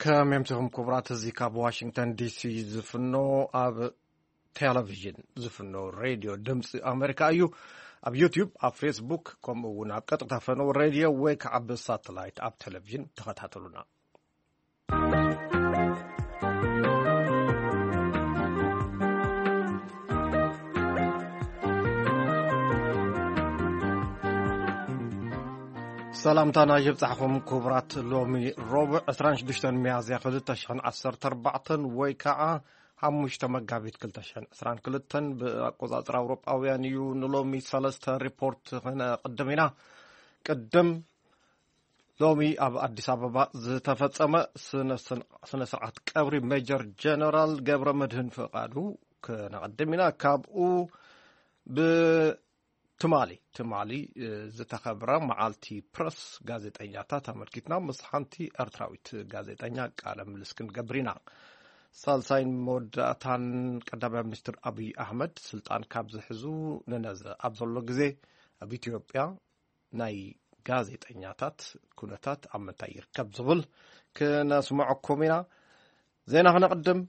ከመይ ኣምሲኹም ክቡራት? እዚ ካብ ዋሽንግተን ዲሲ ዝፍኖ፣ ኣብ ቴሌቪዥን ዝፍኖ ሬድዮ ድምፂ ኣሜሪካ እዩ። ኣብ ዩቲዩብ፣ ኣብ ፌስቡክ፣ ከምኡ እውን ኣብ ቀጥታ ፈነው ሬድዮ ወይ ከዓ ብሳተላይት ኣብ ቴሌቪዥን ተኸታተሉና። ሰላምታና ይብጻሕኹም ክቡራት። ሎሚ ረቡዕ ዕስራን ሽዱሽተን ሚያዝያ ክልተ ሽሕን ዓሰርተ ኣርባዕተን ወይ ከዓ ሓሙሽተ መጋቢት ክልተ ሽሕን ዕስራን ክልተን ብኣቆጻጽራ ኣውሮጳውያን እዩ። ንሎሚ ሰለስተ ሪፖርት ክነቕድም ኢና። ቅድም ሎሚ ኣብ ኣዲስ ኣበባ ዝተፈጸመ ስነ-፣ ስነ-፣ ስነ-ስርዓት ቀብሪ ሜጀር ጀነራል ገብረ መድህን ፍቓዱ ክነቐድም ኢና። ካብኡ ብ-፣ ትማሊ፣ ትማሊ፣ እ፣ ዝተኸብረ መዓልቲ ፕረስ ጋዜጠኛታት ኣመልኪትና ምስ ሓንቲ ኤርትራዊት ጋዜጠኛ ቃለ ምልልስ ክንገብር ኢና። ሳልሳይን መወዳእታን ቀዳማይ ሚኒስትር ኣብይ ኣሕመድ ስልጣን ካብ ዝሕዙ ንነዘ ኣብ ዘሎ ግዜ ኣብ ኢትዮጵያ ናይ ጋዜጠኛታት ኩነታት ኣብ ምንታይ ይርከብ ዝብል ክነስምዐኩም ኢና። ዜና ክነቕድም፣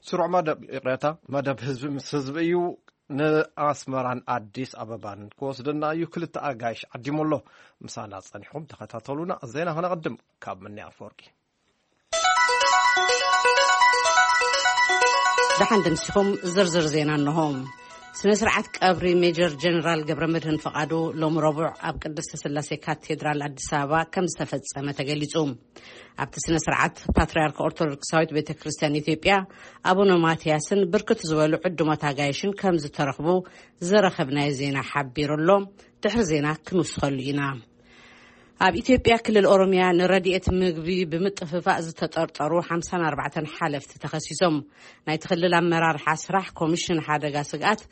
ስሩዕ መደብ፣ ይቕሬታ፣ መደብ ህዝቢ ምስ ህዝቢ እዩ። ንኣስመራን ኣዲስ ኣበባን ክወስደና እዩ። ክልተ ኣጋይሽ ዓዲሙ ኣሎ። ምሳና ጸኒሕኩም ተኸታተሉና። ዜና ክነቕድም ካብ ምኒ ኣፈወርቂ። ደሓን ደምሲኹም ዝርዝር ዜና እንሆ። ስነ ስርዓት ቀብሪ ሜጀር ጀነራል ገብረ መድህን ፈቓዱ ሎሚ ረቡዕ ኣብ ቅድስተ ስላሴ ካቴድራል ኣዲስ ኣበባ ከም ዝተፈጸመ ተገሊጹ። ኣብቲ ስነ ስርዓት ፓትርያርክ ኦርቶዶክሳዊት ቤተ ክርስቲያን ኢትዮጵያ ኣቡነ ማትያስን ብርክት ዝበሉ ዕዱማት ኣጋይሽን ከም ዝተረኽቡ ዝረኸብናዮ ዜና ሓቢሩ ኣሎ። ድሕሪ ዜና ክንውስኸሉ ኢና። ኣብ ኢትዮጵያ ክልል ኦሮሚያ ንረድኤት ምግቢ ብምጥፍፋእ ዝተጠርጠሩ ሓምሳን ኣርባዕተን ሓለፍቲ ተኸሲሶም። ናይቲ ክልል ኣመራርሓ ስራሕ ኮሚሽን ሓደጋ ስግኣት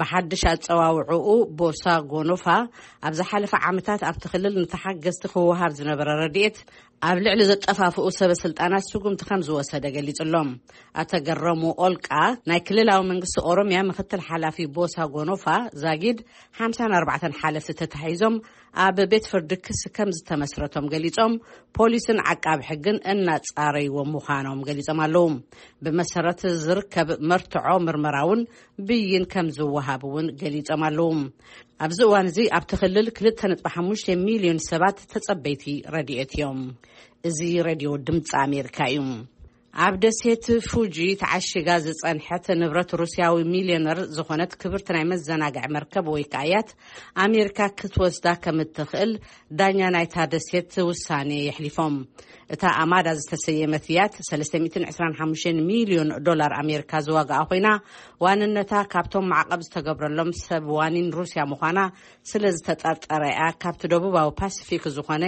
ብሓድሽ ኣጸዋውዕኡ ቦሳ ጎኖፋ ኣብ ዝሓለፈ ዓመታት ኣብቲ ክልል ንተሓገዝቲ ክወሃብ ዝነበረ ረድኤት ኣብ ልዕሊ ዘጠፋፍኡ ሰበ ስልጣናት ስጉምቲ ከም ዝወሰደ ገሊጹ ኣሎ። ኣቶ ገረሙ ኦልቃ ናይ ክልላዊ መንግስቲ ኦሮሚያ ምክትል ሓላፊ ቦሳ ጎኖፋ ዛጊድ ሓምሳን ኣርባዕተን ሓለፍቲ ተታሒዞም ኣብ ቤት ፍርዲ ክሲ ከም ዝተመስረቶም ገሊጾም፣ ፖሊስን ዓቃቢ ሕግን እናጻረይዎም ምዃኖም ገሊጾም ኣለዉ። ብመሰረት ዝርከብ መርትዖ ምርመራ እውን ብይን ከም ዝወሃብ እውን ገሊጾም ኣለዉ። ኣብዚ እዋን እዚ ኣብቲ ክልል ክልተ ነጥቢ ሓሙሽተ ሚልዮን ሰባት ተጸበይቲ ረድኤት እዮም። እዚ ሬድዮ ድምፂ ኣሜሪካ እዩ። ኣብ ደሴት ፉጂ ተዓሺጋ ዝጸንሐት ንብረት ሩስያዊ ሚልዮነር ዝኾነት ክብርቲ ናይ መዘናግዒ መርከብ ወይ ከዓ ያት ኣሜሪካ ክትወስዳ ከም እትኽእል ዳኛ ናይታ ደሴት ውሳኔ የሕሊፎም። እታ ኣማዳ ዝተሰየመት ያት ሰለስተ ሚእትን ዕስራን ሓሙሽተን ሚልዮን ዶላር ኣሜሪካ ዝዋጋኣ ኮይና፣ ዋንነታ ካብቶም ማዕቐብ ዝተገብረሎም ሰብ ዋኒን ሩስያ ምዃና ስለ ዝተጠርጠረ እያ ካብቲ ደቡባዊ ፓሲፊክ ዝኾነ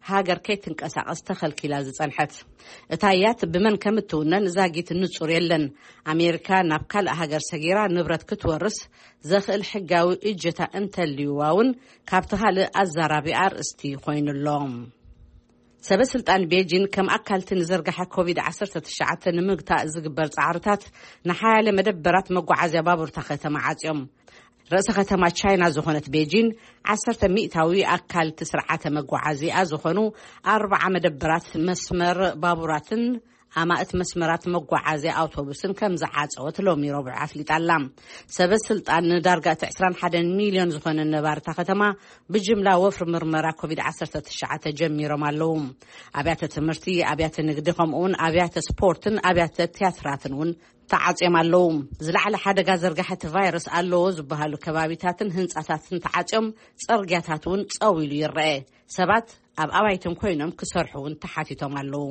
ሃገር ከይትንቀሳቐስ ተኸልኪላ ዝጸንሐት። እታ ያት ብመን ከም እትውነን ዛጊት ንጹር የለን። ኣሜሪካ ናብ ካልእ ሃገር ሰጊራ ንብረት ክትወርስ ዘኽእል ሕጋዊ እጀታ እንተልዩዋ እውን ካብቲ ካልእ ኣዛራቢ ኣርእስቲ ኮይኑ ኣሎ። ሰበ ስልጣን ቤጂን ከም ኣካልቲ ንዝርግሐ ኮቪድ ዓሰርተ ትሽዓተ ንምግታእ ዝግበር ጻዕርታት ንሓያለ መደበራት መጓዓዝያ ባቡር እታ ከተማ ዓጽዮም። ርእሰ ከተማ ቻይና ዝኾነት ቤጂን ዓሰርተ ሚእታዊ ኣካልቲ ስርዓተ መጓዓዝያ ዝኾኑ ኣርባዓ መደበራት መስመር ባቡራትን ኣማእት መስመራት መጓዓዝያ ኣውቶቡስን ከም ዝዓጸወት ሎሚ ረቡዕ ኣፍሊጣ ኣላ። ሰበ ስልጣን ንዳርጋ እቲ ዕስራን ሓደን ሚልዮን ዝኾነ ነባሪ እታ ከተማ ብጅምላ ወፍሪ ምርመራ ኮቪድ ዓሰርተ ትሽዓተ ጀሚሮም ኣለዉ። ኣብያተ ትምህርቲ፣ ኣብያተ ንግዲ ከምኡውን ኣብያተ ስፖርትን ኣብያተ ትያትራትን እውን ተዓጽዮም ኣለዉ። ዝለዓለ ሓደጋ ዘርጋሐ እቲ ቫይረስ ኣለዎ ዝበሃሉ ከባቢታትን ህንጻታትን ተዓጽዮም፣ ጽርግያታት እውን ጸው ኢሉ ይረአ። ሰባት ኣብ ኣባይቶም ኮይኖም ክሰርሑ እውን ተሓቲቶም ኣለዉ።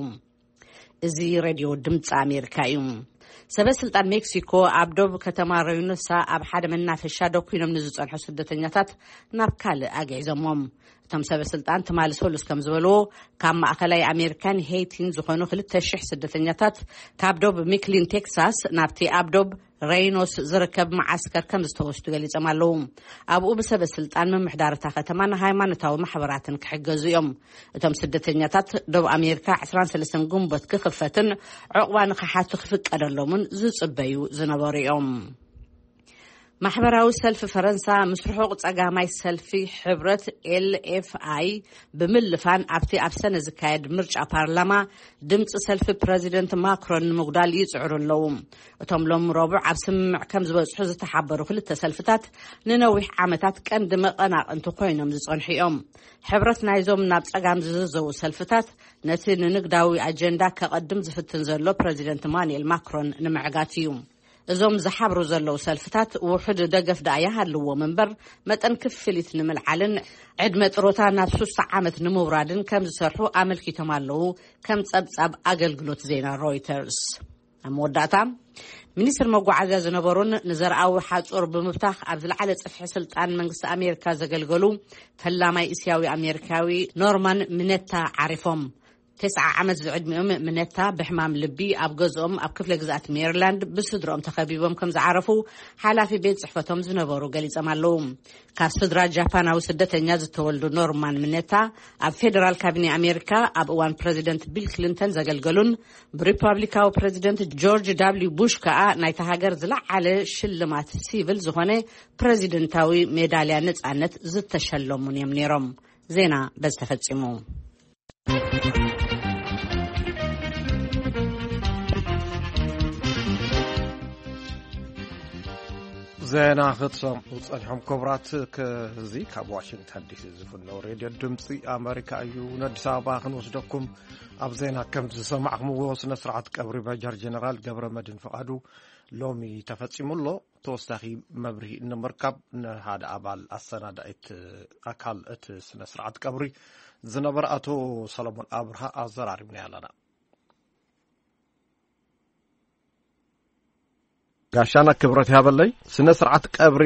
እዚ ሬድዮ ድምፂ ኣሜሪካ እዩ። ሰበ ስልጣን ሜክሲኮ ኣብ ዶብ ከተማ ረዩኖሳ ኣብ ሓደ መናፈሻ ደኩኖም ንዝጸንሑ ስደተኛታት ናብ ካልእ ኣግዒዞሞም። እቶም ሰበ ስልጣን ትማሊ ሰሉስ ከም ዝበልዎ፣ ካብ ማእኸላይ ኣሜሪካን ሄይቲን ዝኾኑ ክልተ ሽሕ ስደተኛታት ካብ ዶብ ሚክሊን ቴክሳስ ናብቲ ኣብ ዶብ ሬይኖስ ዝርከብ መዓስከር ከም ዝተወስዱ ገሊጾም ኣለዉ። ኣብኡ ብሰበ ስልጣን ምምሕዳር እታ ከተማ ንሃይማኖታዊ ማሕበራትን ክሕገዙ እዮም። እቶም ስደተኛታት ዶብ ኣሜሪካ ዕስራን ሰለስተን ግንቦት ክኽፈትን ዕቑባ ንኽሓቱ ክፍቀደሎምን ዝጽበዩ ዝነበሩ እዮም። ማሕበራዊ ሰልፊ ፈረንሳ ምስ ርሑቕ ጸጋማይ ሰልፊ ሕብረት ኤል ኤፍ ኣይ ብምልፋን ኣብቲ ኣብ ሰነ ዝካየድ ምርጫ ፓርላማ ድምፂ ሰልፊ ፕረዚደንት ማክሮን ንምጉዳል ይጽዕሩ ኣለዉ። እቶም ሎም ረቡዕ ኣብ ስምምዕ ከም ዝበጽሑ ዝተሓበሩ ክልተ ሰልፍታት ንነዊሕ ዓመታት ቀንዲ መቐናቕንቲ ኮይኖም ዝጸንሑ እዮም። ሕብረት ናይዞም ናብ ጸጋም ዝዝዘዉ ሰልፍታት ነቲ ንንግዳዊ ኣጀንዳ ከቐድም ዝፍትን ዘሎ ፕረዚደንት ማኑኤል ማክሮን ንምዕጋት እዩ። እዞም ዝሓብሩ ዘለዉ ሰልፍታት ውሑድ ደገፍ ደኣ ይሃልዎም እምበር፣ መጠን ክፍሊት ንምልዓልን ዕድመ ጥሮታ ናብ ሱሳ ዓመት ንምውራድን ከም ዝሰርሑ ኣመልኪቶም ኣለዉ፣ ከም ጸብጻብ ኣገልግሎት ዜና ሮይተርስ። ኣብ መወዳእታ፣ ሚኒስትር መጓዓዝያ ዝነበሩን ንዘርኣዊ ሓጹር ብምብታኽ ኣብ ዝለዓለ ጽፍሒ ስልጣን መንግስቲ ኣሜሪካ ዘገልገሉ ፈላማይ እስያዊ ኣሜሪካዊ ኖርማን ሚነታ ዓሪፎም። ተስዓ ዓመት ዝዕድሚኦም ምነታ ብሕማም ልቢ ኣብ ገዝኦም ኣብ ክፍለ ግዝኣት ሜሪላንድ ብስድሮኦም ተኸቢቦም ከም ዝዓረፉ ሓላፊ ቤት ጽሕፈቶም ዝነበሩ ገሊጾም ኣለዉ። ካብ ስድራ ጃፓናዊ ስደተኛ ዝተወልዱ ኖርማን ምነታ ኣብ ፌደራል ካቢኔ ኣሜሪካ ኣብ እዋን ፕረዚደንት ቢል ክሊንተን ዘገልገሉን ብሪፐብሊካዊ ፕረዚደንት ጆርጅ ዳብሊው ቡሽ ከኣ ናይታ ሃገር ዝለዓለ ሽልማት ሲቪል ዝኾነ ፕረዚደንታዊ ሜዳልያ ነጻነት ዝተሸለሙን እዮም ነይሮም። ዜና በዚ ተፈጺሙ። ዜና ክትሰምዑ ጸኒሖም ክቡራት፣ ከዚ ካብ ዋሽንግተን ዲሲ ዝፍነው ሬድዮ ድምፂ ኣመሪካ እዩ። ንኣዲስ ኣበባ ክንወስደኩም። ኣብ ዜና ከም ዝሰማዕኩምዎ ስነ ስርዓት ቀብሪ ሜጀር ጀነራል ገብረ መድህን ፍቓዱ ሎሚ ተፈጺሙ ኣሎ። ተወሳኺ መብርሂ ንምርካብ ንሓደ ኣባል ኣሰናዳኢት ኣካል እቲ ስነ ስርዓት ቀብሪ ዝነበረ ኣቶ ሰለሞን ኣብርሃ ኣዘራሪብና ኣለና። ጋሻና ክብረት ያበለይ። ስነ ስርዓት ቀብሪ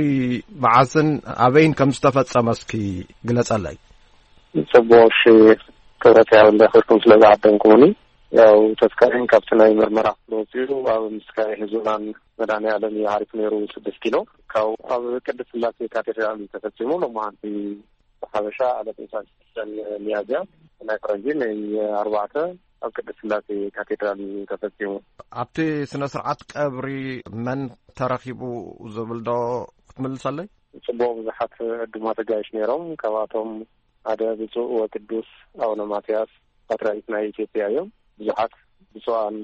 መዓዝን ኣበይን ከም ዝተፈጸመ እስኪ ግለጸለይ። ጽቡቕ፣ እሺ፣ ክብረት ያበለይ፣ ክብርኩም ስለ ዝዓደምኩምኒ። ያው ተስካሪን ካብቲ ናይ ምርመራ ክፍሊ ወጺኡ ኣብ ምስካየ ህዙናን መድኃኔዓለም እዩ ዓሪፉ ነይሩ፣ ስድስት ኪሎ። ካብ ኣብ ቅድስት ስላሴ ካቴድራል እዩ ተፈጺሙ። ሎማዓንቲ ብሓበሻ ዕለት ዕስራን ሽዱሽተን ሚያዝያ፣ ናይ ፈረንጂ ናይ ኣርባዕተ ኣብ ቅድስት ስላሴ ካቴድራል እዩ ተፈጺሙ። ኣብቲ ስነ ስርዓት ቀብሪ መን ተረኺቡ ዝብል ዶ ክትምልሰለይ? ጽቡቕ፣ ብዙሓት ዕዱማት ኣጋይሽ ነይሮም። ካብኣቶም ሓደ ብፁዕ ወቅዱስ ኣቡነ ማትያስ ፓትርያርክ ናይ ኢትዮጵያ እዮም። ብዙሓት ብፁዓን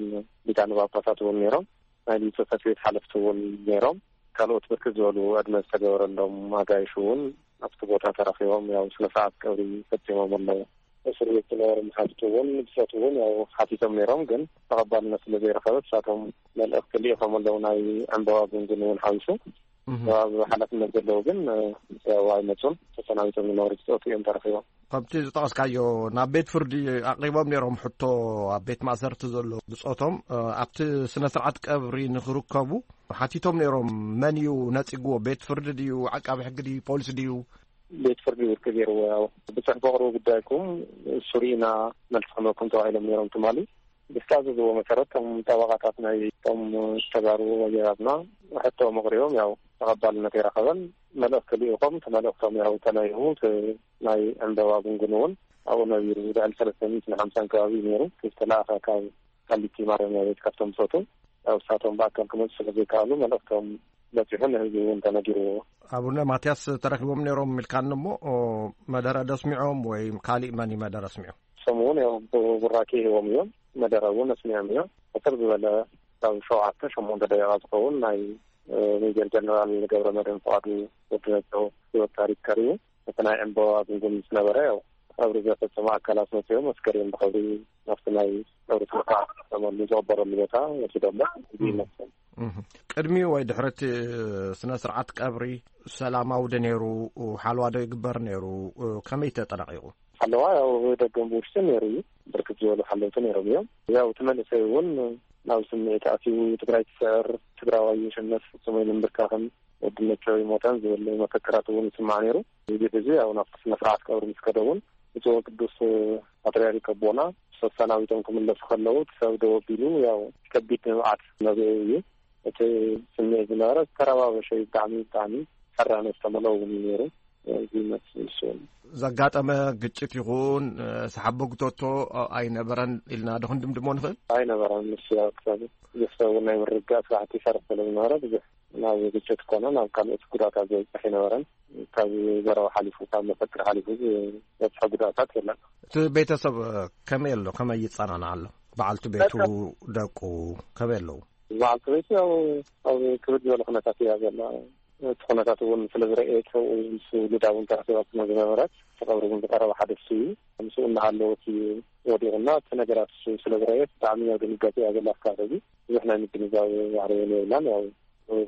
ሊቃነ ጳጳሳት እውን ነይሮም። ናይ ጽሕፈት ቤት ሓለፍቲ እውን ነይሮም። ካልኦት ብርክት ዝበሉ ዕድመ ዝተገበረሎም ኣጋይሽ እውን ኣብቲ ቦታ ተረኺቦም፣ ያው ስነ ስርዓት ቀብሪ ፈጺሞም ኣለዉ። እስር ቤት ዝነበሩ መሓዙት እውን ብጾት እውን ያው ሓቲቶም ነይሮም፣ ግን ተቐባልነት ስለ ዘይረኸበ ንሳቶም መልእኽቲ ልኢኾም ኣለዉ፣ ናይ ዕምበባ ጉንጉን እውን ሓዊሱ። እህ። ኣብ ሓላፍነት ዘለዉ ግን ያው ኣይመጹን። ተሰናቢቶም ዝነበሩ ብጾት እዮም ተረኺቦም። ከምቲ ዝጠቐስካዮ፣ ናብ ቤት ፍርዲ ኣቕሪቦም ነይሮም ሕቶ፣ ኣብ ቤት ማእሰርቲ ዘሎ ብጾቶም፣ እ፣ ኣብቲ ስነ ስርዓት ቀብሪ ንኽርከቡ ሓቲቶም ነይሮም። መን እዩ ነጺግዎ? ቤት ፍርዲ ድዩ? ዓቃቢ ሕጊ ድዩ? ፖሊስ ድዩ? ቤት ፍርዲ ውድቂ ገይርዎ። ያው ብጽሑፍ በቕርቡ ጉዳይኩም እሱ ርኢና መልሲ ክህበኩም ተባሂሎም ነይሮም ትማሊ። ብዝተኣዘዝዎ መሰረት፣ እቶም ጠበቓታት ናይ እቶም ተጋሩ ወጀራትና ሕቶኦም ኣቕሪቦም፣ ያው ተቐባልነት ኣይረኸበን። መልእኽቲ ልኢኾም፣ እቲ መልእኽቶም ያው ተነቢቡ፣ እቲ ናይ ዕምበባ ጉንጉን እውን ኣብኡ ነቢሩ። ልዕሊ ሰለስተ ሚእትን ሓምሳን ከባቢ እዩ ነይሩ፣ እቲ ዝተለኣኸ ካብ ቃሊቲ ማረሚያ ቤት ካብቶም ብጾቱ። ያው እሳቶም ብኣካል ክመጹ ስለ ዘይከኣሉ፣ መልእኽቶም በጺሑ ንህዝቢ እውን ተነጊርዎ። ኣቡነ ማትያስ ተረኺቦም ነይሮም ኢልካኒ እሞ፣ ኦ፣ መደረ ደስሚዖም ወይ ካሊእ መን እዩ መደረ ኣስሚዑ? እሶም እውን ያው ቡ-፣ ቡራኬ ሂቦም እዮም። መደረ እውን ኣስሚዖም እዮም። ሕጽር ዝበለ ካብ ሸውዓተ ሸሞንተ ደቂቓ ዝኸውን ናይ፣ እ፣ ሜጀር ጀነራል ገብረ መድህን ፍቓዱ ወዲ ነጆ ህይወት ታሪክ ቀሪቡ። እቲ ናይ ዕምበባ ጉንጉን ምስ ነበረ፣ ያው ቀብሪ ዘፈጸሙ ኣካላት መጺኦም ኣስከሬን ብኽብሪ ናብቲ ናይ ቀብሪ ስነ ስርዓት ዝፈጸመሉ ዝቐበረሉ ቦታ ወሲዶሞ። እዚ እም። ይመስል። እህ። ቅድሚ ወይ ድሕሪ እቲ ስነ ስርዓት ቀብሪ ሰላማዊ ዶ ነይሩ? ሓልዋ ዶ ይግበር ነይሩ? ከመይ ተጠናቒቑ? ሓለዋ ያው ደገን ብውሽጥን ነይሩ እዩ። ብርክት ዝበሉ ሓለውቲ ነይሮም እዮም። ያው እቲ መንእሰይ እውን ናብ ስምዒት ኣትዩ፣ ትግራይ ትስዕር፣ ትግራዋይ የሸነፍ፣ ፍጹም ኣይንንብርካኽን፣ ወዲ ነቻው ይሞታን ዝብል መፈክራት እውን ይስማዕ ነይሩ። እዚ ሕዚ ያው ናብቲ ስነ ስርዓት ቀብሪ ምስ ከደ እውን ብፁዕ ቅዱስ ፓትርያርክ ኣቦና ሰሰናቢቶም ክምለሱ ከለዉ እቲ ሰብ ደው ኣቢሉ ያው ከቢድ ንብዓት ነቢዑ እዩ። እቲ ስምዒት ዝነበረ ዝተረባበሸ እዩ። ብጣዕሚ፣ ብጣዕሚ ሕራነ ዝተመልኦ እውን እዩ ነይሩ። እዚ ይመስል እሱ። ዘጋጠመ ግጭት ይኹን፣ እ፣ ሰሓቦ ግቶቶ ኣይነበረን ኢልና ዶ ክንድምድሞ ንኽእል? ኣይነበረን። ንሱ ያው ክሳብ ብዙሕ ሰብ እውን ናይ ምርግጋእ ስራሕቲ ይሰርሕ ስለ ዝነበረ ብዙሕ ናብ ግጭት ኮነ ናብ ካልኦት ጉዳታት ዘብፅሕ ኣይነበረን። ካብ ዘረባ ሓሊፉ ካብ መፈክር ሓሊፉ ዝበፅሐ ጉዳታት የለን። እቲ ቤተሰብ ከመይ ኣሎ? ከመይ ይጸናናዕ ኣሎ? በዓልቲ ቤቱ፣ ደቁ ከመይ ኣለዉ? በዓልቲ ቤቱ ያው ኣብ ክብድ ዝበለ ኩነታት እያ ዘላ። እቲ ኩነታት እውን ስለ ዝረእየት፣ ምስ ውሉዳ እውን ተራኺባ ስለ ዝነበረት፣ እቲ ቀብሪ እውን ዝቀረበ ሓደስቲ እዩ። ምስኡ እናሃለወት እዩ ወዲቑና። እቲ ነገራት እሱ ስለ ዝረእየት ብጣዕሚ ኣብ ድንጋጤ እያ ዘላ። እስካብ ሕዚ ብዙሕ ናይ ምግንዛብ ባህሪ እውን የብላን። ያው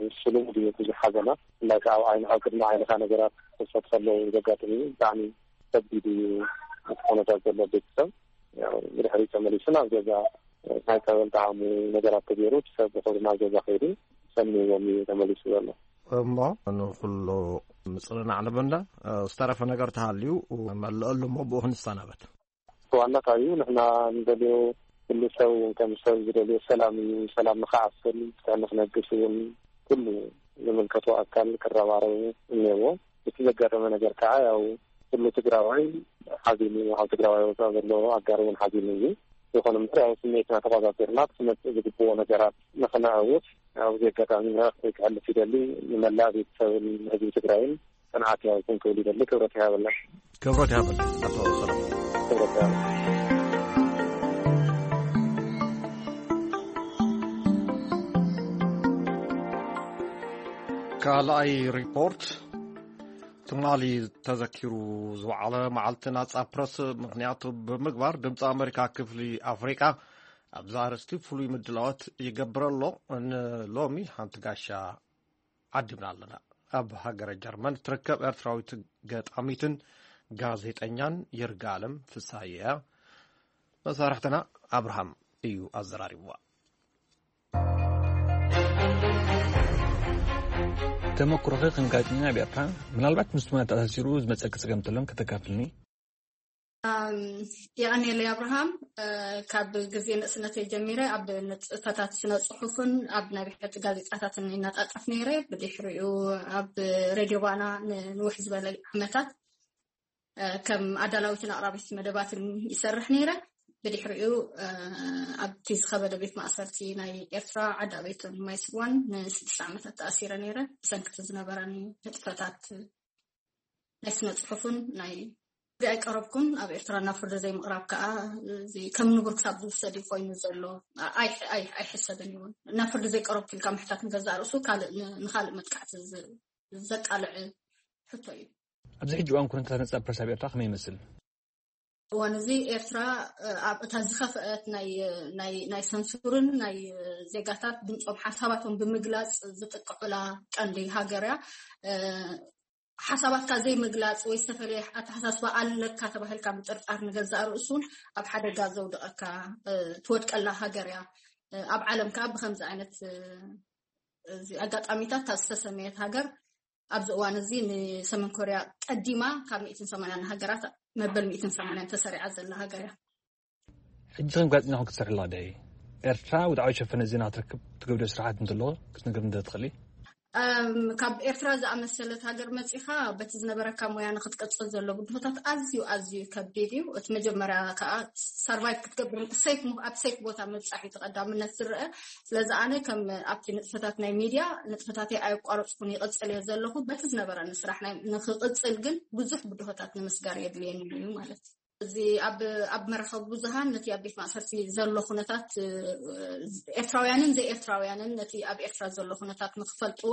እሱ ልሙድ እዩ ብዙሕ ሓዘና። ብፍላይ ከዓ ኣብ ዓይኒ፣ ኣብ ቅድሚ ዓይንኻ ነገራት ክኸሰት ከለዉ ዘጋጥም እዩ። ብጣዕሚ ከቢድ እዩ እቲ ኩነታት ዘሎ ቤተሰብ። ያው ብድሕሪት ተመሊሱ ናብ ገዛ ናይ ጸበል ጣዕሙ ነገራት ተገይሩ፣ እቲ ሰብ ብኽብሪ ናብ ገዛ ከይዱ ሰኒዎም እዩ ተመሊሱ ዘሎ። እሞ ንኹሉ ምጽንናዕ ንበንዳ፣ ዝተረፈ ነገር ተሃልዩ መልአሉ እሞ ብኡ ክንሰናበት። ዋና ካብ እዩ ንሕና ንደልዮ፣ ኩሉ ሰብ እውን ከም ሰብ ዝደልዮ ሰላም እዩ። ሰላም ንኽዓስል፣ ፍትሒ ንኽነግስ እውን ኩሉ ዝምልከቶ ኣካል ክረባረቡ እኒአዎ። እቲ ዘጋጠመ ነገር ከዓ ያው ኩሉ ትግራዋይ ሓዚኑ፣ ኣብ ትግራዋይ ወፃእ ዘሎ ኣጋር እውን ሓዚኑ እዩ። ይኹን እምበር ያው ስሜትና ተቆጻጺርና ክመፅእ ዝግብኦ ነገራት ንኽነዕውት ኣብዚ ኣጋጣሚ መልእኽቲ ክሕልፍ ይደሊ። ንመላእ ቤተሰብን ህዝቢ ትግራይን ጽንዓት ይሃብኩም ክብል ይደሊ። ክብረት ይሃበልና። ክብረት ይሃበልና ኣቶ ሰለሞን። ክብረት ይሃበልና። ካልኣይ ሪፖርት፣ ትማሊ ተዘኪሩ ዝወዓለ መዓልቲ ናጻ ፕረስ ምኽንያቱ ብምግባር፣ ድምፂ ኣሜሪካ ክፍሊ ኣፍሪቃ ኣብዚ ኣርእስቲ ፍሉይ ምድላዋት ይገብር ኣሎ። ንሎሚ ሓንቲ ጋሻ ዓዲምና ኣለና። ኣብ ሃገረ ጀርመን ትርከብ ኤርትራዊት ገጣሚትን ጋዜጠኛን ይርጋለም ፍስሃየ እያ። መሳርሕትና ኣብርሃም እዩ ኣዘራሪብዋ። ተመኩሮኺ ከም ጋዜጠኛ ኣብ ኤርትራ፣ ምናልባት ምስ ትማሊ ተኣሳሲሩ ዝመጸኪ ጸገም እንተሎን ከተካፍልኒ? ኣም፣ የቐንየለይ ኣብርሃም። እ፣ ካብ ግዜ ንእስነተይ ጀሚረ ኣብ ንጥፈታት ስነ ጽሑፍን ኣብ ናይ ብሕቲ ጋዜጣታትን ይነጣጠፍ ነይረ። ብድሕሪኡ ኣብ ሬድዮ ባና ንንውሕ ዝበለ ዓመታት፣ እ፣ ከም ኣዳላዊትን ኣቕራቢት መደባትን ይሰርሕ ነይረ። ብድሕሪኡ፣ እ፣ ኣብቲ ዝኸበደ ቤት ማእሰርቲ ናይ ኤርትራ ዓዲ ኣበይቶን ማይ ስዋን ንስድስተ ዓመታት ተኣሲረ ነይረ። ብሰንክቲ ዝነበረኒ ንጥፈታት ናይ ስነ ጽሑፍን ናይ ሕጊ ኣይቀረብኩን። ኣብ ኤርትራ ናብ ፍርዲ ዘይምቕራብ ከኣ፣ እዚ ከም ንቡር ክሳብ ዝውሰድ እዩ ኮይኑ ዘሎ። ኣይ-፣ ኣይ-፣ ኣይሕሰብን እዩ እውን። ናብ ፍርዲ ዘይቀረብኩ ኢልካ ምሕታት ንገዛእ ርእሱ ካልእ ን-፣ ንኻልእ መጥቃዕቲ ዝ-፣ ዘቃልዕ ሕቶ እዩ። ኣብዚ ሕጂ እዋን ኩነታት ነጻ ፕረስ ኣብ ኤርትራ ከመይ ይመስል? እዋን እዚ ኤርትራ፣ እ፣ ኣብ እታ ዝኸፍአት ናይ፣ ናይ፣ ናይ ሰንሱርን ናይ፣ እ፣ ዜጋታት ድምጾም ሓሳባቶም ብምግላጽ ዝጥቀዑላ ቀንዲ ሃገር እያ። እ፣ ሓሳባትካ ዘይምግላጽ ወይ ዝተፈለየ ኣተሓሳስባ ኣለካ ተባሂልካ ምጥርጣር ንገዛእ ርእሱ እውን ኣብ ሓደጋ ዘውድቐካ፣ እ፣ ትወድቀላ ሃገር እያ። እ፣ ኣብ ዓለም ከኣ ብኸምዚ ዓይነት፣ እ፣ እዚ ኣጋጣሚታት እታ ዝተሰመየት ሃገር ኣብዚ እዋን እዚ ንሰሜን ኮርያ ቀዲማ ካብ ሚእትን ሰማንያን ሃገራት መበል ሚእትን ሰማንያን ተሰሪዓ ዘላ ሃገር እያ። ሕጂ ከም ጋዜጠኛ ክትሰርሒ ኣለኺ ዶ? ኤርትራ ወግዓዊ ሸፈነ ዜና ክትረክብ ትገብርዮ ስራሓት እንተሎ ክትነግርኒ ዶ ትኽእሊ? እም፣ ካብ ኤርትራ ዝኣመሰለት ሃገር መጺኻ በቲ ዝነበረካ ሞያ ንኽትቅጽል ዘሎ ብድሆታት ኣዝዩ፣ ኣዝዩ ከቢድ እዩ። እቲ መጀመርያ ከኣ ሰርቫይቭ ክትገብር ሴፍ ሞ-፣ ኣብ ሴፍ ቦታ ምብጻሕ እዩ እቲ ቀዳምነት ዝረአ። ስለዚ ኣነ ከም ኣብቲ ንጥፈታት ናይ ሚድያ ንጥፈታተይ ኣየቋረጽኩን ይቕጽል እየ ዘለኹ። በቲ ዝነበረኒ ስራሕ ናይ፣ ንኽቕጽል ግን ብዙሕ ብድሆታት ንምስጋር የድልየኒ እዩ ማለት እዩ። እዚ ኣብ፣ ኣብ መራኸቢ ብዙሃን ነቲ ኣብ ቤት ማእሰርቲ ዘሎ ኩነታት፣ እ፣ ኤርትራውያንን ዘይኤርትራውያንን ነቲ ኣብ ኤርትራ ዘሎ ኩነታት ንኽፈልጥዎ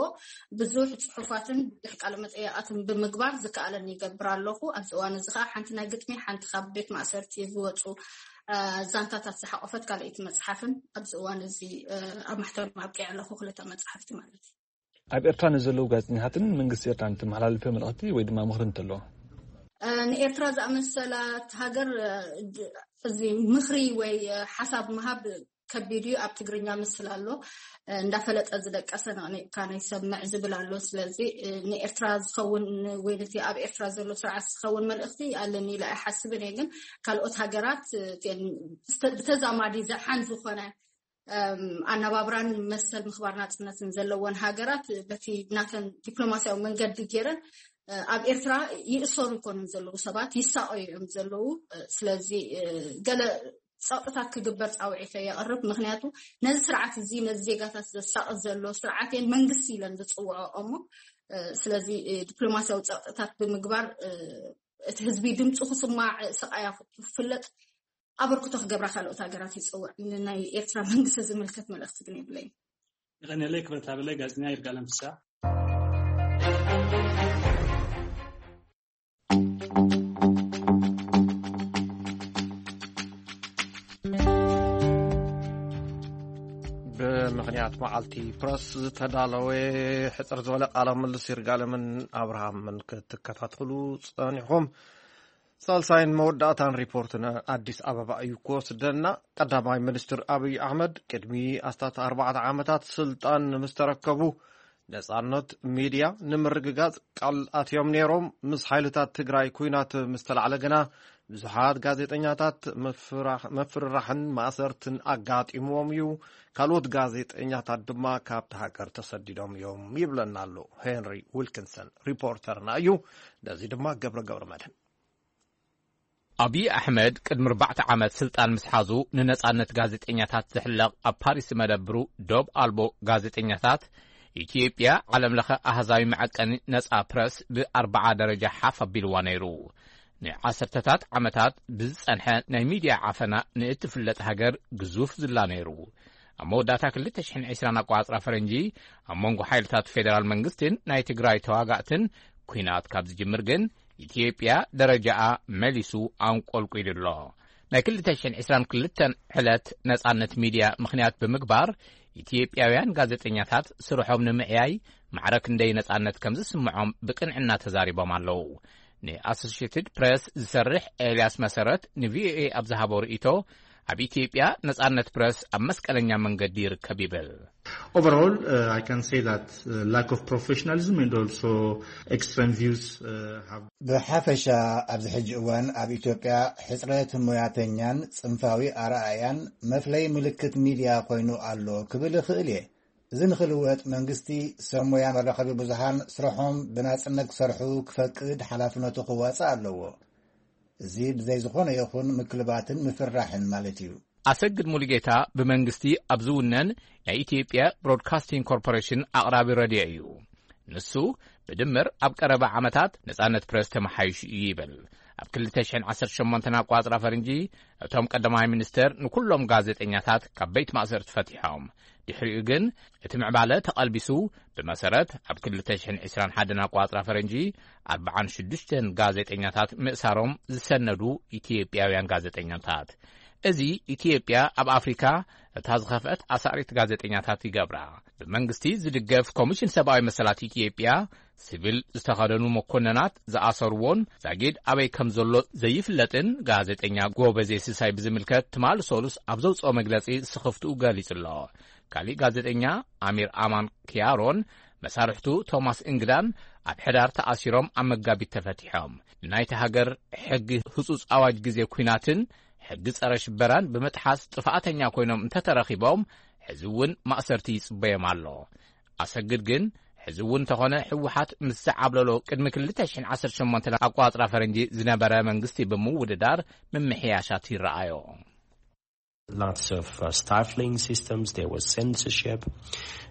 ብዙሕ ጽሑፋትን ብዙሕ ቃለ መጠይቓትን ብምግባር ዝከኣለኒ ይገብር ኣለኹ። ኣብዚ እዋን እዚ ከኣ ሓንቲ ናይ ግጥሚ፣ ሓንቲ ካብ ቤት ማእሰርቲ ዝወጹ፣ እ፣ ዛንታታት ዝሓቖፈት ካልኣይቲ መጽሓፍን ኣብዚ እዋን እዚ፣ እ፣ ኣብ ማሕተም ኣብቂዐ ኣለኹ፣ ክልተ መጽሓፍቲ ማለት እዩ። ኣብ ኤርትራ ንዘለዉ ጋዜጠኛታትን መንግስቲ ኤርትራን እተመሓላልፍዮ መልእኽቲ ወይ ድማ ምኽሪ እንተሎ? እ፣ ንኤርትራ ዝኣመሰላት ሃገር፣ እ፣ ድ-፣ እዚ ምኽሪ ወይ፣ እ፣ ሓሳብ ምሃብ ከቢድ እዩ። ኣብ ትግርኛ ምስል ኣሎ፣ እ፣ እንዳፈለጠ ዝደቀሰ ነቕኒቕካ ናይ ሰምዕ ዝብል ኣሎ። ስለዚ፣ እ፣ ንኤርትራ ዝኸውን ወይ ነቲ ኣብ ኤርትራ ዘሎ ስርዓት ዝኸውን መልእኽቲ ኣለኒ ኢለ ኣይሓስብን እየ። ግን ካልኦት ሃገራት፣ እ፣ እተን ብተ-፣ ብተዛማዲ ዝሓን ዝኾነ፣ እም፣ ኣነባብራን መሰል ምኽባር ናጽነትን ዘለወን ሃገራት በቲ ናተን ዲፕሎማስያዊ መንገዲ ገይረን፣ እ፣ ኣብ ኤርትራ ይእሰሩ ኣይኮኑን ዘለዉ፣ ሰባት ይሳቐዩ እዮም ዘለዉ። እ፣ ስለዚ፣ እ፣ ገለ ጸቕጥታት ክግበር ጻውዒተ የቕርብ። ምኽንያቱ ነዚ ስርዓት እዚ፣ ነዚ ዜጋታት ዘሳቕት ዘሎ ስርዓት እየን መንግስቲ ኢለን ዝጽውዖ እሞ፣ እ፣ ስለዚ፣ እ፣ ዲፕሎማሲያዊ ጸቕጥታት ብምግባር፣ እ፣ እቲ ህዝቢ ድምፁ ክስማዕ፣ እ፣ ስቓያ ክፍለጥ ኣበርክቶ ክገብራ ካልኦት ሃገራት ይጽውዕ። ንናይ ኤርትራ መንግስቲ ዝምልከት መልእኽቲ ግን የብለይን። የቐንየለይ ክብረት ሃበለይ ጋዜጠኛ ይርጋለም ፍስሓ። ብምኽንያት መዓልቲ ፕረስ ዝተዳለወ ሕጽር ዝበለ ቃለ ምልልስ ይርጋለምን ኣብርሃምን ክትከታተሉ ጸኒሕኩም። ሳልሳይን መወዳእታን ሪፖርት ንኣዲስ ኣበባ እዩ ክወስደና። ቀዳማይ ሚኒስትር ኣብይ ኣሕመድ ቅድሚ ኣስታት ኣርባዕተ ዓመታት ስልጣን ምስ ተረከቡ ነጻነት ሚድያ ንምርግጋጽ ቃል ኣትዮም ነይሮም። ምስ ሓይልታት ትግራይ ኩናት ምስ ተላዕለ ግና ብዙሓት ጋዜጠኛታት ምፍራሕ-፣ ምፍርራሕን ማእሰርትን ኣጋጢምዎም እዩ። ካልኦት ጋዜጠኛታት ድማ ካብቲ ሃገር ተሰዲዶም እዮም ይብለና ኣሎ ሄንሪ ዊልኪንሰን ሪፖርተርና እዩ። ነዚ ድማ ገብረ ገብረ መድህን። ኣብይ ኣሕመድ ቅድሚ ኣርባዕተ ዓመት ስልጣን ምስ ሓዙ ንነጻነት ጋዜጠኛታት ዝሕለቕ ኣብ ፓሪስ መደብሩ ዶብ ኣልቦ ጋዜጠኛታት ኢትዮጵያ ዓለም ለኸ ኣሃዛዊ መዐቀኒ ነጻ ፕረስ ብኣርባዓ ደረጃ ሓፍ ኣቢልዋ ነይሩ። ንዓሰርተታት ዓመታት ብዝጸንሐ ናይ ሚድያ ዓፈና ንእትፍለጥ ሃገር ግዙፍ ዝላ ነይሩ። ኣብ መወዳእታ ክልተ ሽሕን ዕስራን ኣቋጽራ ፈረንጂ ኣብ መንጎ ሓይልታት ፌደራል መንግስትን ናይ ትግራይ ተዋጋእትን ኲናት ካብ ዝጅምር ግን ኢትዮጵያ ደረጃኣ መሊሱ ኣንቆልቂሉ ኣሎ። ናይ ክልተ ሽሕን ዕስራን ክልተን ዕለት ነጻነት ሚድያ ምኽንያት ብምግባር ኢትዮጵያውያን ጋዜጠኛታት ስርሖም ንምዕያይ ማዕረ ክንደይ ነጻነት ከም ዝስምዖም ብቅንዕና ተዛሪቦም ኣለዉ። ንኣሶሲየትድ ፕሬስ ዝሰርሕ ኤልያስ መሰረት ንቪኦኤ ኣብ ዝሃቦ ርእይቶ ኣብ ኢትዮጵያ ነጻነት ፕረስ ኣብ መስቀለኛ መንገዲ ይርከብ ይብል። Overall, uh, I can say that uh, lack of professionalism and also extreme views uh, have ብሓፈሻ ኣብዚ ሕጂ እዋን ኣብ ኢትዮጵያ ሕጽረት ሞያተኛን ጽንፋዊ ኣረኣእያን መፍለይ ምልክት ሚድያ ኮይኑ ኣሎ ክብል እኽእል እየ። እዚ ንኽልወጥ መንግስቲ ሰብ ሞያ መራኸቢ ብዙሃን ስርሖም ብናጽነት ክሰርሑ ክፈቅድ ሓላፍነቱ ክዋጽእ ኣለዎ። እዚ ብዘይ ዝኾነ ይኹን ምክልባትን ምፍርራሕን ማለት እዩ። ኣሰግድ ሙሉጌታ ብመንግስቲ ኣብ ዝውነን ናይ ኢትዮጵያ ብሮድካስቲንግ ኮርፖሬሽን ኣቕራቢ ረድዮ እዩ። ንሱ ብድምር ኣብ ቀረባ ዓመታት ነጻነት ፕረስ ተመሓይሹ እዩ ይብል። ኣብ ክልተ ሽሕን ዓሰርተ ሸሞንተን ኣቋጽራ ፈረንጂ እቶም ቀዳማይ ሚኒስተር ንኩሎም ጋዜጠኛታት ካብ ቤት ማእሰርቲ ፈቲሖም። ድሕሪኡ ግን እቲ ምዕባለ ተቐልቢሱ። ብመሰረት ኣብ ክልተ ሽሕን ዕስራን ሓደን ኣቋጽራ ፈረንጂ ኣርባዓን ሽዱሽተን ጋዜጠኛታት ምእሳሮም ዝሰነዱ ኢትዮጵያውያን ጋዜጠኛታት። እዚ ኢትዮጵያ ኣብ ኣፍሪካ እታ ዝኸፍአት ኣሳሪት ጋዜጠኛታት ይገብራ። ብመንግስቲ ዝድገፍ ኮሚሽን ሰብኣዊ መሰላት ኢትዮጵያ ሲቪል ዝተኸደኑ መኮነናት ዝኣሰርዎን ዛጊድ ኣበይ ከም ዘሎ ዘይፍለጥን ጋዜጠኛ ጎበዜ ሲሳይ ብዝምልከት ትማሊ ሰሉስ ኣብ ዘውፅኦ መግለፂ ስኽፍትኡ ገሊጹ ኣሎ። ካሊእ ጋዜጠኛ ኣሚር ኣማን ኪያሮን መሳርሕቱ ቶማስ እንግዳን ኣብ ሕዳር ተኣሲሮም ኣብ መጋቢት ተፈቲሖም። ንናይቲ ሃገር ሕጊ ህጹጽ ኣዋጅ ግዜ ኲናትን ሕጊ ጸረ ሽበራን ብምጥሓስ ጥፍኣተኛ ኮይኖም እንተተረኺቦም ሕዚ እውን ማእሰርቲ ይጽበዮም ኣሎ። ኣሰግድ ግን ሕዚ እውን እንተኾነ ህወሓት ምስ ዝዓብለሎ ቅድሚ ክልተ ሽሕን ዓሰርተ ሸሞንተ ኣቋጽራ ፈረንጂ ዝነበረ መንግስቲ ብምውድዳር ምምሕያሻት ይረኣዮ። Lots of uh, stifling systems. There was censorship.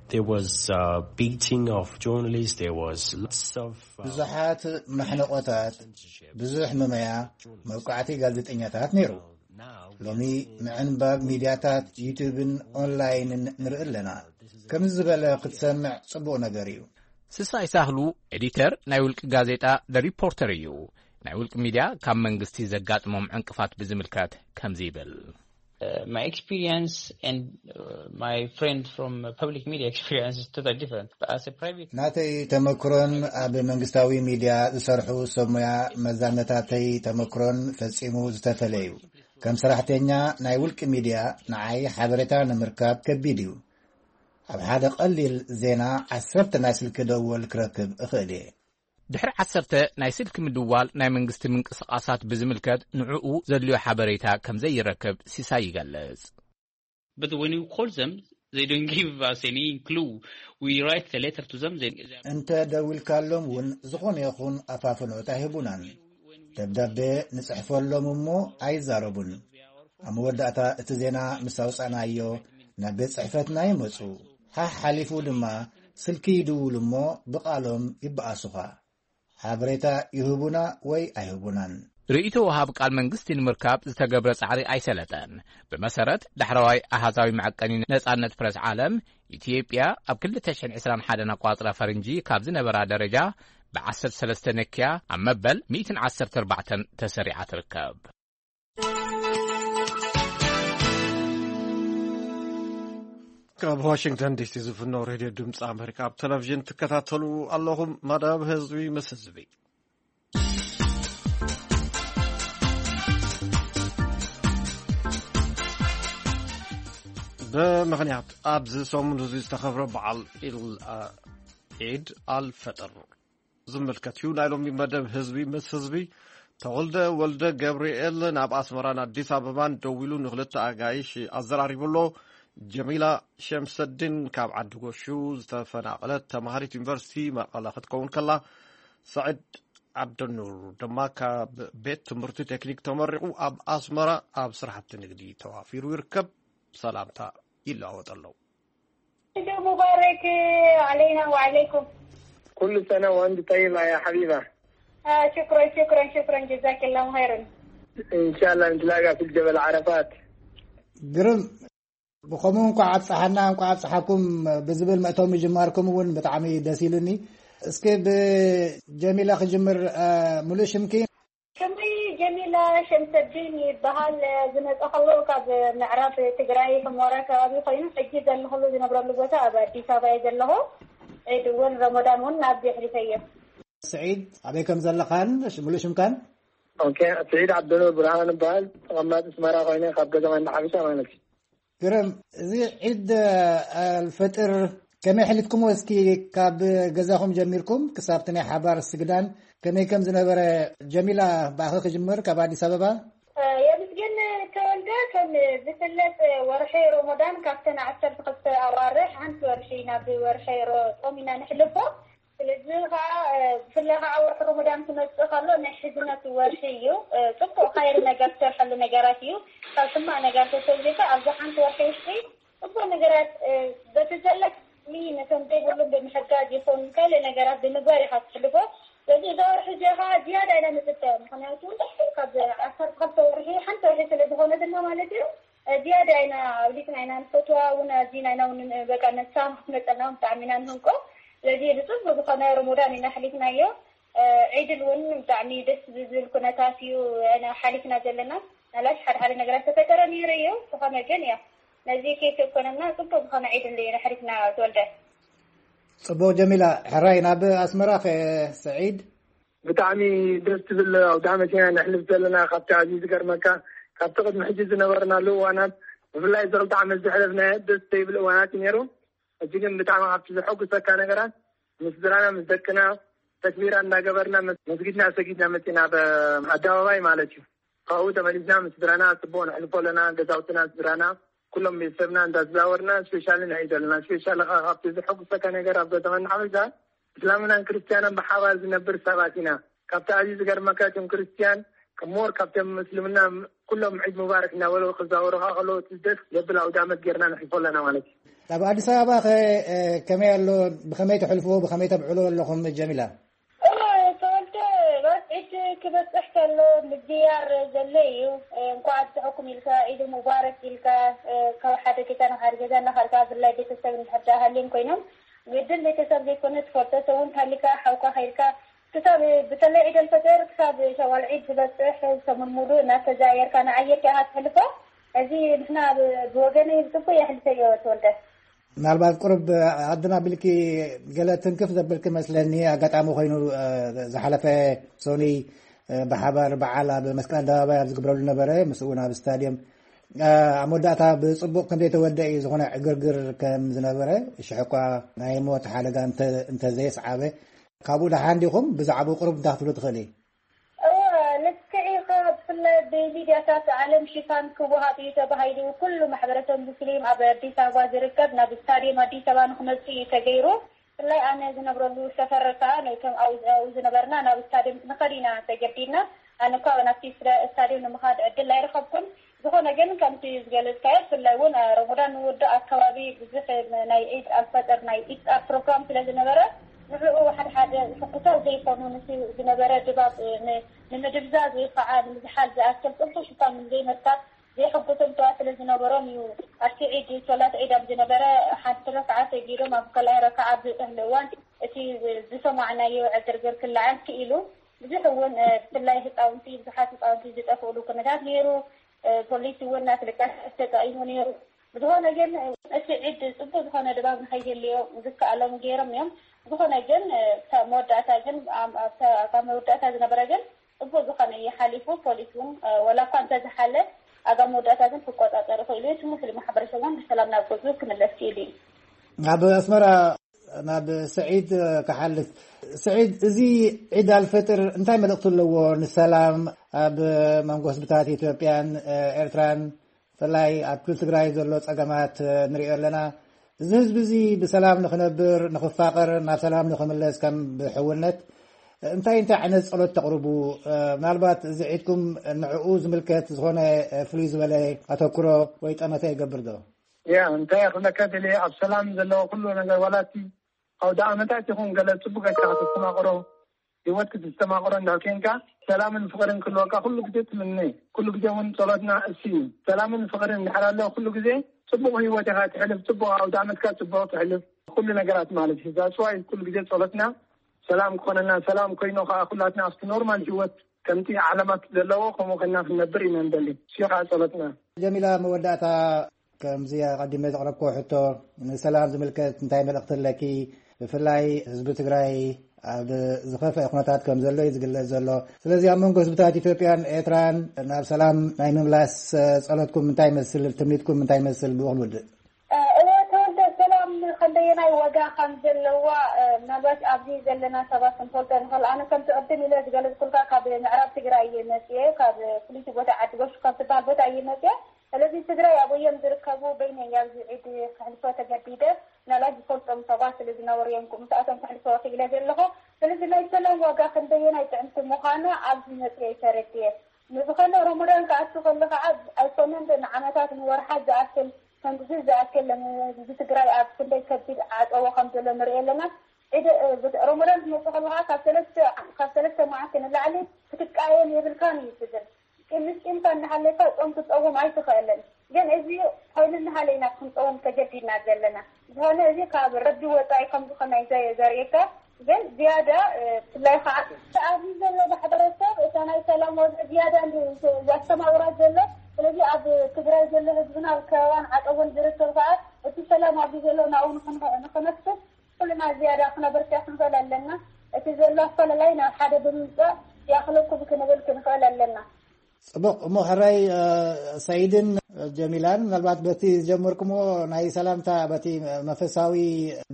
There was uh, beating of journalists. There was lots of uh, ብዙሓት ማሕነቆታት፣ ብዙሕ መመያ፣ መውቃዕቲ ጋዜጠኛታት ነይሩ። ሎሚ ምዕንባብ ሚድያታት ዩቱብን ኦንላይንን ንርኢ ኣለና። ከምዚ ዝበለ ክትሰምዕ ጽቡቕ ነገር እዩ። ስሳይ ሳህሉ ኤዲተር ናይ ውልቂ ጋዜጣ ደ ሪፖርተር እዩ። ናይ ውልቂ ሚድያ ካብ መንግስቲ ዘጋጥሞም ዕንቅፋት ብዝምልከት ከምዚ ይብል። Uh, my experience and uh, my friend from uh, public media experience is totally different. But as a private ናተይ ተመክሮን ኣብ መንግስታዊ ሚድያ ዝሰርሑ ሰብ ሞያ መዛነታተይ ተመክሮን ፈጺሙ ዝተፈለዩ። ከም ሰራሕተኛ ናይ ውልቂ ሚድያ ንዓይ ሓበሬታ ንምርካብ ከቢድ እዩ። ኣብ ሓደ ቀሊል ዜና ዓሰርተ ናይ ስልኪ ደወል ክረክብ እኽእል እየ። ድሕሪ ዓሰርተ ናይ ስልኪ ምድዋል ናይ መንግስቲ ምንቅስቓሳት ብዝምልከት ንዕኡ ዘድልዮ ሓበሬታ ከም ዘይረክብ ሲሳይ ይገልጽ። But when you call them, they don't give us any clue. We write the letter to them. They, they are እንተ ደዊልካሎም እውን ዝኾነ ይኹን ኣፋፍኖት ኣይህቡናን። ደብዳቤ ንጽሕፈሎም እሞ ኣይዛረቡን። ኣብ መወዳእታ እቲ ዜና ምስ ኣውጻእናዮ ናብ ቤት ጽሕፈትና ይመጹ። ሓሕ ሓሊፉ ድማ ስልኪ ይድውሉ እሞ ብቓሎም ይበኣሱኻ። ሓበሬታ ይህቡና ወይ ኣይህቡናን። ርእይቶ ወሃብ ቃል መንግስቲ ንምርካብ ዝተገብረ ጻዕሪ ኣይሰለጠን። ብመሰረት ዳሕረዋይ ኣሃዛዊ መዐቀኒ ነጻነት ፕረስ ዓለም፣ ኢትዮጵያ ኣብ ክልተ ሽሕን ዕስራን ሓደን ኣቋጽራ ፈረንጂ ካብ ዝነበራ ደረጃ ብዓሰርተ ሰለስተ ነክያ ኣብ መበል ሚእትን ዓሰርተ ኣርባዕተን ተሰሪዓ ትርከብ። ካብ ዋሽንግተን ዲሲ ዝፍኖ ሬድዮ ድምፂ ኣሜሪካ ኣብ ቴሌቪዥን ትከታተሉ ኣለኹም። መደብ ህዝቢ ምስ ህዝቢ። ብምኽንያት ኣብዚ ሰሙን እዚ ዝተኸብረ በዓል ኢል ዒድ ኣልፈጥር ዝምልከት እዩ። ናይ ሎሚ መደብ ህዝቢ ምስ ህዝቢ፣ ተወልደ ወልደ ገብርኤል ናብ ኣስመራን ኣዲስ ኣበባን ደዊሉ ንክልተ ኣጋይሽ ኣዘራሪቡ ኣሎ። ጀሚላ ሸምሰዲን ካብ ዓዲ ጎሹ ዝተፈናቐለት ተማሃሪት ዩኒቨርሲቲ መቐለ ክትከውን ከላ፣ ሰዒድ ዓብደኑር ድማ ካብ ቤት ትምህርቲ ቴክኒክ ተመሪቑ ኣብ ኣስመራ ኣብ ስራሕቲ ንግዲ ተዋፊሩ ይርከብ። ሰላምታ ይለዋወጠ ኣለዉ። ሙባረክ ዓለይና ወዓለይኩም። ኩሉ ሰነ ወንድ ጠይባ ያ ሓቢባ። ሽክረን ሽክረን ሽክረን ጀዛኪላሁ ኸይረን። እንሻላ ንትላጋ ፊል ጀበል ዓረፋት። ግርም። ብኸምኡ እንኳዕ ኣብፀሓና እንኳዕ ኣብፀሓኩም ብዝብል መእተዊ ምጅማርኩም እውን ብጣዕሚ ደስ ኢሉኒ። እስኪ ብጀሚላ ክጅምር። ሙሉእ ሽምኪ? ሽመይ ጀሚላ ሸምሰዲን ይበሃል። ዝመፀ ከሎ ካብ ምዕራብ ትግራይ ሕሞራ ከባቢ ኮይኑ ሕጂ ዘለኽሉ ዝነብረሉ ቦታ ኣብ ኣዲስ ኣበባ እየ ዘለኹ። ዒድ እውን ረመዳን እውን ናብዚ ኣሕሊፈዮ። ስዒድ ኣበይ ከም ዘለኻን ሙሉእ ሽምካን? ኦኬ፣ ስዒድ ዓብደኑር ብርሃን እበሃል። ተቐማጢ ኣስመራ ኮይነ ካብ ገዛ ማንዳ ሓበሻ ማለት እዩ። ግርም። እዚ ዒድ ኣልፈጥር ከመይ ኣሕሊፍኩምዎ? እስኪ ካብ ገዛኹም ጀሚርኩም ክሳብ እቲ ናይ ሓባር ስግዳን ከመይ ከም ዝነበረ። ጀሚላ ብኣኺ ክጅምር ካብ ኣዲስ ኣበባ። የምስግን ተወልደ። ከም ዝፍለጥ ወርሒ ሮሞዳን ካብተን ዓሰርተ ክልተ ኣዋርሕ ሓንቲ ወርሒ ናብ ወርሒ ሮ- ጾም ኢና ነሕልፎ። ስለዚ ከዓ ብፍላይ ከዓ ወርሒ ሮሞዳን ክመፅእ ከሎ ናይ ሕዝነት ወርሒ እዩ። ፅቡቅ ኸይር ነገር ትሰርሐሉ ነገራት እዩ። ካብ ሕማቅ ነገር ተሰሊካ ኣብዚ ሓንቲ ወርሒ ውሽጢ ጽቡቅ ነገራት በቲ ዘለኒ ነቶም ዘይብሎም ብምሕጋዝ ይኹን ካልእ ነገራት ብምግባር ኢኻ ትሕልፎ። ስለዚ እዛ ወርሒ እዚኣ ኸዓ ዝያዳ ኢና ንጽበያ፣ ምኽንያቱ ካብ ዓሰርተ ክልተ ወርሒ ሓንቲ ወርሒ ስለ ዝኾነትና ማለት እዩ። ዝያዳ ኢና ኣብሊጽና ኢና ንፈትዋ እውን ኣዚና ኢና እውን በቃ ነሳም ክትመጸና እውን ብጣዕሚ ኢና ንህንቆ። ስለዚ ብጽቡቅ ዝኾነ ሮሞዳን ኢና ኣሕሊፍናዮ። ዒድል እውን ብጣዕሚ ደስ ብዝብል ኩነታት እዩ ሓሊፍና ዘለና። ናላሽ ሓደ ሓደ ነገራት ተፈጠረ ነይሩ እዩ። ዝኾነ ግን ያው ነዚ ኬፍ የኮነና ጽቡቅ ዝኾነ ዒድ እንደ ነሕሪፍና ተወልደ። ጽቡቅ ጀሚላ። ሕራይ ናብ ኣስመራ ከ ሰዒድ? ብጣዕሚ ደስ ትብል ኣውደ ዓመት ኢና ነሕልፍ ዘለና። ካብቲ ኣዝዩ ዝገርመካ ካብቲ ቅድሚ ሕጂ ዝነበርናሉ እዋናት ብፍላይ እዚ ክልተ ዓመት ዘሕለፍናዮ ደስ ዘይብል እዋናት እዩ ነይሩ። ሕጂ ግን ብጣዕሚ ካብቲ ዘሐጉሰካ ነገራት ምስ ስድራና ምስ ደቅና ተክቢራ እንዳገበርና መስጊድና ሰጊድና መፂና ኣብ ኣደባባይ ማለት እዩ። ካብኡ ተመሊስና ምስ ስድራና ፅቡቅ ነሕልፎ ኣለና። ገዛውትና ስድራና ኩሎም ቤተሰብና እንዳተዛወርና ስፔሻሊ ንርኢ ዘለና። ስፔሻሊ ከዓ ካብቲ ዘሐጉሰካ ነገር ኣብ ከተማ እንዳሓበሻ እስላምናን ክርስትያናን ብሓባር ዝነብር ሰባት ኢና። ካብቲ ኣዝዩ ዝገርመካ እቶም ክርስትያን ሞር ካብቶም ምስልምና ኩሎም ዒድ ሙባረክ እናበሉ ክዛወሩኻ ከለዉ እቲ ደስ ዘብል ኣውደ ዓመት ጌርና ነሕልፎ ኣለና ማለት እዩ። ኣብ ኣዲስ ኣበባ ከ ከመይ ኣሎ? ብኸመይ ተሕልፍዎ? ብኸመይ ተብዕልዎ ኣለኹም ጀሚላ? ተወልደ ባት ዒድ ክበፅሕ ከሎ ምዝያር ዘሎ እዩ። እንኳዕ ኣብፅሐኩም ኢልካ፣ ዒድ ሙባረክ ኢልካ፣ ካብ ሓደ ገዛ ናብ ሓደ ገዛ እናኸድካ ብፍላይ ቤተሰብ እንድሕር ደኣ ሃልዮም ኮይኖም ግድን ቤተሰብ ዘይኮነ ትፈልጦ ሰብ እውን ተሃሊካ ሓውካ ከይድካ ክሳብ ብተለይ ዒድ ኣልፈጥር ክሳብ ሸዋል ዒድ ዝበፅሕ ሰሙን ሙሉእ እናተዘያየርካ ንዓየርካ ኢኻ ትሕልፎ። እዚ ንሕና ብወገነይ ብፅቡቅ የሕልፈዮ ተወልደ። ምናልባት ቁሩብ ዓድና ቢልኪ ገለ ትንክፍ ዘብልኪ መስለኒ። ኣጋጣሚ ኮይኑ ዝሓለፈ ሶኒ ብሓባር በዓል ኣብ መስቀል ኣደባባይ ኣብ ዝግብረሉ ነበረ። ምስ እውን ኣብ ስታድዮም ኣብ መወዳእታ ብፅቡቅ ከም ዘይተወደ እዩ። ዝኾነ ዕግርግር ከም ዝነበረ ሽሕ እኳ ናይ ሞት ሓደጋ እንተዘየስዓበ ካብኡ ደሓን ዲኹም? ብዛዕባኡ ቁሩብ እንታይ ክትብሉ ትኽእሊ? እወ፣ ልክዕ ኢኻ። ብፍላይ ብሚድያታት ዓለም ሽፋን ክወሃብ እዩ ተባሂሉ ኩሉ ማሕበረሰብ ሙስሊም ኣብ ኣዲስ ኣበባ ዝርከብ ናብ ስታድየም ኣዲስ ኣበባ ንክመፅእ እዩ ተገይሩ። ብፍላይ ኣነ ዝነብረሉ ሰፈር ከዓ ነቶም ኣብኡ ዝነበርና ናብ ስታድየም ክንኸድ ኢና ተገዲድና። ኣነ እኳ ናብቲ ስታድየም ንምኻድ ዕድል ኣይረኸብኩን። ዝኾነ ግን ከምቲ ዝገለጽካዮ፣ ብፍላይ እውን ረመዳን ንውዳእ ኣከባቢ ብዙሕ ናይ ዒድ ኣልፈጥር ናይ ኢፍጣር ፕሮግራም ስለ ዝነበረ፣ ንዕኡ ሓደ ሓደ ሕጉሳት ዘይኮኑ ነቲ ዝነበረ ድባብ ንምድብዛዝ ወይ ከዓ ንምዝሓል ዝኣክል ጥንቁ ሽፋን ዘይምርካብ ዘይሕጉስን ተዋ ስለ ዝነበሮም እዩ። ኣብቲ ዒድ ሶላት ዒድ ኣብ ዝነበረ ሓንቲ ረክዓ ሰጊዶም ኣብ ካልኣይ ረክዓ ኣብ ዝበፅሕሉ እዋን እቲ ዝሰማዕናዮ ዕግርግር ክለዓል ክኢሉ። ብዙሕ እውን ብፍላይ ህፃውንቲ ብዙሓት ህፃውንቲ ዝጠፍእሉ ኩነታት ነይሩ። ፖሊስ እውን ናስለቃሽ ተጠቂሙ ነይሩ። ብዝኾነ ግን እቲ ዒድ ፅቡቅ ዝኾነ ድባብ ንኸይህልዮ ዝከኣሎም ገይሮም እዮም። ዝኾነ ግን መወዳእታ ግን ካብ መወዳእታ ዝነበረ ግን ፅቡቅ ዝኾነ እዩ ሓሊፉ። ፖሊስ እውን ወላ እኳ እንተዝሓለ ኣጋ መወዳእታ ግን ክቆፃፀር ይኽእሉ እዩ። እቲ ሙስሊም ማሕበረሰብ እውን ብሰላም ናብ ገዝኡ ክምለስ ክኢሉ እዩ። ናብ ኣስመራ ናብ ስዒድ ክሓልፍ። ስዒድ፣ እዚ ዒድ ኣልፈጥር እንታይ መልእኽቲ ኣለዎ ንሰላም ኣብ መንጎ ህዝብታት ኢትዮጵያን ኤርትራን? ብፍላይ ኣብ ክልል ትግራይ ዘሎ ጸገማት ንሪኦ ኣለና። እዚ ህዝቢ እዚ ብሰላም ንኽነብር፣ ንኽፋቐር፣ ናብ ሰላም ንኽምለስ ከም ብሕውነት እንታይ እንታይ ዓይነት ጸሎት ተቕርቡ? ምናልባት እዚ ዒድኩም ንዕኡ ዝምልከት ዝኾነ ፍሉይ ዝበለ ኣተኩሮ ወይ ጠመተ ይገብር ዶ? ያ እንታይ ክብለካ ደልየ፣ ኣብ ሰላም ዘለዎ ኩሉ ነገር ዋላቲ ኣውደ ዓመታት ይኹን ገለ ጽቡቅ ጌርካ ክትስተማቕሮ፣ ህይወት ክትስተማቕሮ እንዳ ኬንካ ሰላምን ፍቕርን ክህልወካ ኩሉ ግዜ ትምነ። ኩሉ ግዜ እውን ጸሎትና እሱ እዩ። ሰላምን ፍቕርን እንድሕር ኣሎ ኩሉ ግዜ ጽቡቕ ህይወት ኢኻ ትሕልፍ፣ ጽቡቕ ኣውደ ዓመትካ ጽቡቕ ትሕልፍ፣ ኩሉ ነገራት ማለት እዩ። ዛስዋይ ኩሉ ግዜ ጸሎትና ሰላም ክኾነና፣ ሰላም ኮይኑ ከዓ ኩላትና ኣብቲ ኖርማል ህይወት ከምቲ ዓለማት ዘለዎ ከምኡ ኮይና ክንነብር ኢና ንደሊ። እሱ እዩ ከዓ ጸሎትና። ጀሚላ፣ መወዳእታ ከምዚ ኣቐዲመ ዘቕረብክዎ ሕቶ ንሰላም ዝምልከት እንታይ መልእኽቲ ኣለኪ? ብፍላይ ህዝቢ ትግራይ ኣብ ዝኸፍአ ኩነታት ከም ዘሎ እዩ ዝግለጽ ዘሎ። ስለዚ ኣብ መንጎ ህዝብታት ኢትዮጵያን ኤርትራን ናብ ሰላም ናይ ምምላስ ጸሎትኩም እንታይ ይመስል? ትምኒትኩም እንታይ ይመስል? ብኡ ክንውድእ። እወ ተወልደ፣ ሰላም ክንደየናይ ዋጋ ከም ዘለዋ ምናልባት ኣብዚ ዘለና ሰባት ክንፈልጦ ንኽእል። ኣነ ከምቲ ቅድም ኢለ ዝገለጽኩልካ ካብ ምዕራብ ትግራይ እየ መፅየ፣ ካብ ፍልይቲ ቦታ ዓዲ ጎሹ ካብ ትበሃል ቦታ እየ መፅየ። ስለዚ ትግራይ ኣብ ወየም ዝርከቡ በይነይ ኣብዚ ዒድ ከሕልፎ ተገዲደ። ምናልባት ዝፈልጦም ሰባት ስለ ዝነበሩ እዮም ምስኣቶም ከሕልፎ ክኢለ ዘለኹ። ስለዚ ናይ ሰላም ዋጋ ክንደየናይ ጥዕምቲ ምዃና ኣብዚ መፅየ ተረድየ። ንዝኾነ ረመዳን ክኣቱ ከሎ ከዓ ኣይኮነን ንዓመታት ንወርሓት ዝኣክል ከምዚ ዝኣክል ህዝቢ ትግራይ ኣብ ክንደይ ከቢድ ዓፀቦ ከም ዘሎ ንሪኦ ኣለና። ዒድ ረመዳን ክመፅእ ከሎ ከዓ ካብ ሰለስተ ካብ ሰለስተ መዓልቲ ንላዕሊ ክትቃየም የብልካን እዩ ትብል። ቂም ምስ ቂምካ እናሃለካ ጾም ክትጸውም ኣይትኽእልን። ግን እዚ ኮይኑ እናሃለ ኢና ክንጸውም ተገዲድና ዘለና። ዝኾነ እዚ ካብ ረቢ ወጻኢ ከም ዝኾነ እዩ ዘ- ዘርእየካ። ግን ዝያዳ እ፣ ብፍላይ ከዓ ኣብዚ ዘሎ ማሕበረሰብ እታ ናይ ሰላም ወግዒ ዝያዳ እንዲ ዘስተማቕራ ዘሎ። ስለዚ ኣብ ትግራይ ዘሎ ህዝብና ኣብ ከበባን ዓጸቦን ዝርከብ ከዓ እቲ ሰላም ኣብዚ ዘሎ ናብኡ ንኽን- ንኽነፍስ ኩልና ዝያዳ ክነበርትዕ ክንኽእል ኣለና። እቲ ዘሎ ኣፈላላይ ናብ ሓደ ብምምፃእ ይኣኽለኩም ክንብል ክንኽእል ኣለና። ጽቡቕ እሞ ሕራይ ሰይድን ጀሚላን ምናልባት በቲ ዝጀመርኩምዎ ናይ ሰላምታ በቲ መንፈሳዊ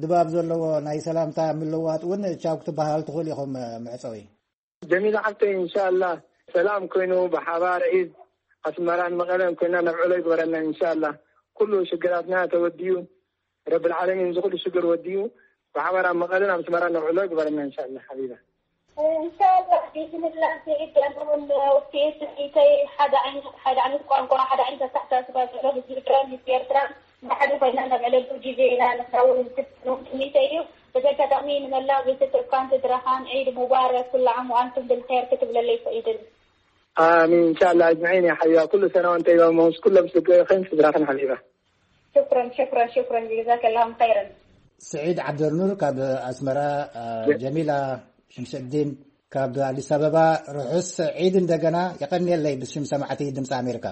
ድባብ ዘለዎ ናይ ሰላምታ ምልዋጥ እውን ቻው ክትበሃል ትኽእል ኢኹም። መዕፀዊ ጀሚላ ሓፍተይ፣ እንሻላ ሰላም ኮይኑ ብሓባር ዒድ ኣስመራን መቐለን ኮይና ነብዕሎ ይግበረና። እንሻላ ኩሉ ሽግራትና ተወዲኡ ረብል ዓለሚን ዝኹሉ ሽግር ወዲኡ ብሓባር ኣብ መቐለን ኣብ ኣስመራን ነብዕሎ ይግበረና። እንሻላ ሓቢባ። እንሻላ ቢስሚላ። ስዒድ ኣነ እውን ውፅኢት ስሒተይ ሓደ ዓይነት ሓደ ዓይነት ቋንቋ ሓደ ዓይነት ኣተሓሳስባ ዘሎ ህዝቢ ትግራይ ህዝቢ ኤርትራ ብሓደ ኮይና ነብዕለሉ ግዜ ኢና ንኸውን ትምኒተይ እዩ። በዚ ኣጋጣሚ ንመላእ ቤተሰብካን ስድራኻን ዒድ ሙባረክ ኩሉ ዓም ወኣንቱም ብልኸይር ክትብለለይ ይኽእል። ኣሚን እንሻላ ኣጅማዒን። ያ ሓቢባ ኩሉ ሰና ወንተ ይባሞስ ኩሎም ስድራኸን ስድራኸን ሓቢባ። ሽኩረን ሽኩረን ሽኩረን ጀዛከላሁም ኸይረን። ስዒድ ዓብደልኑር ካብ ኣስመራ፣ ጀሚላ ሽምሸዲን ካብ ኣዲስ ኣበባ። ርሑስ ዒድ እንደገና። የቐንየለይ ብሽም ሰማዕቲ ድምፂ ኣሜሪካ።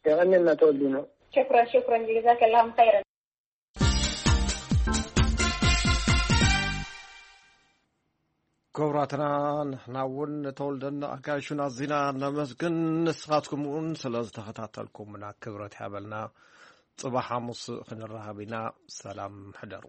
የቐንየልና ተወልዲኖ። ሽኩረን ሽኩረን ጀዛከላሁም ኸይረን። ክቡራትና ንሕና እውን ንተወልደን ኣጋይሹን ኣዚና ነመስግን። ንስኻትኩም እውን ስለ ዝተኸታተልኩምና ክብረት ይሃበልና። ጽባሕ ሓሙስ ክንራኸብ ኢና። ሰላም ሕደሩ።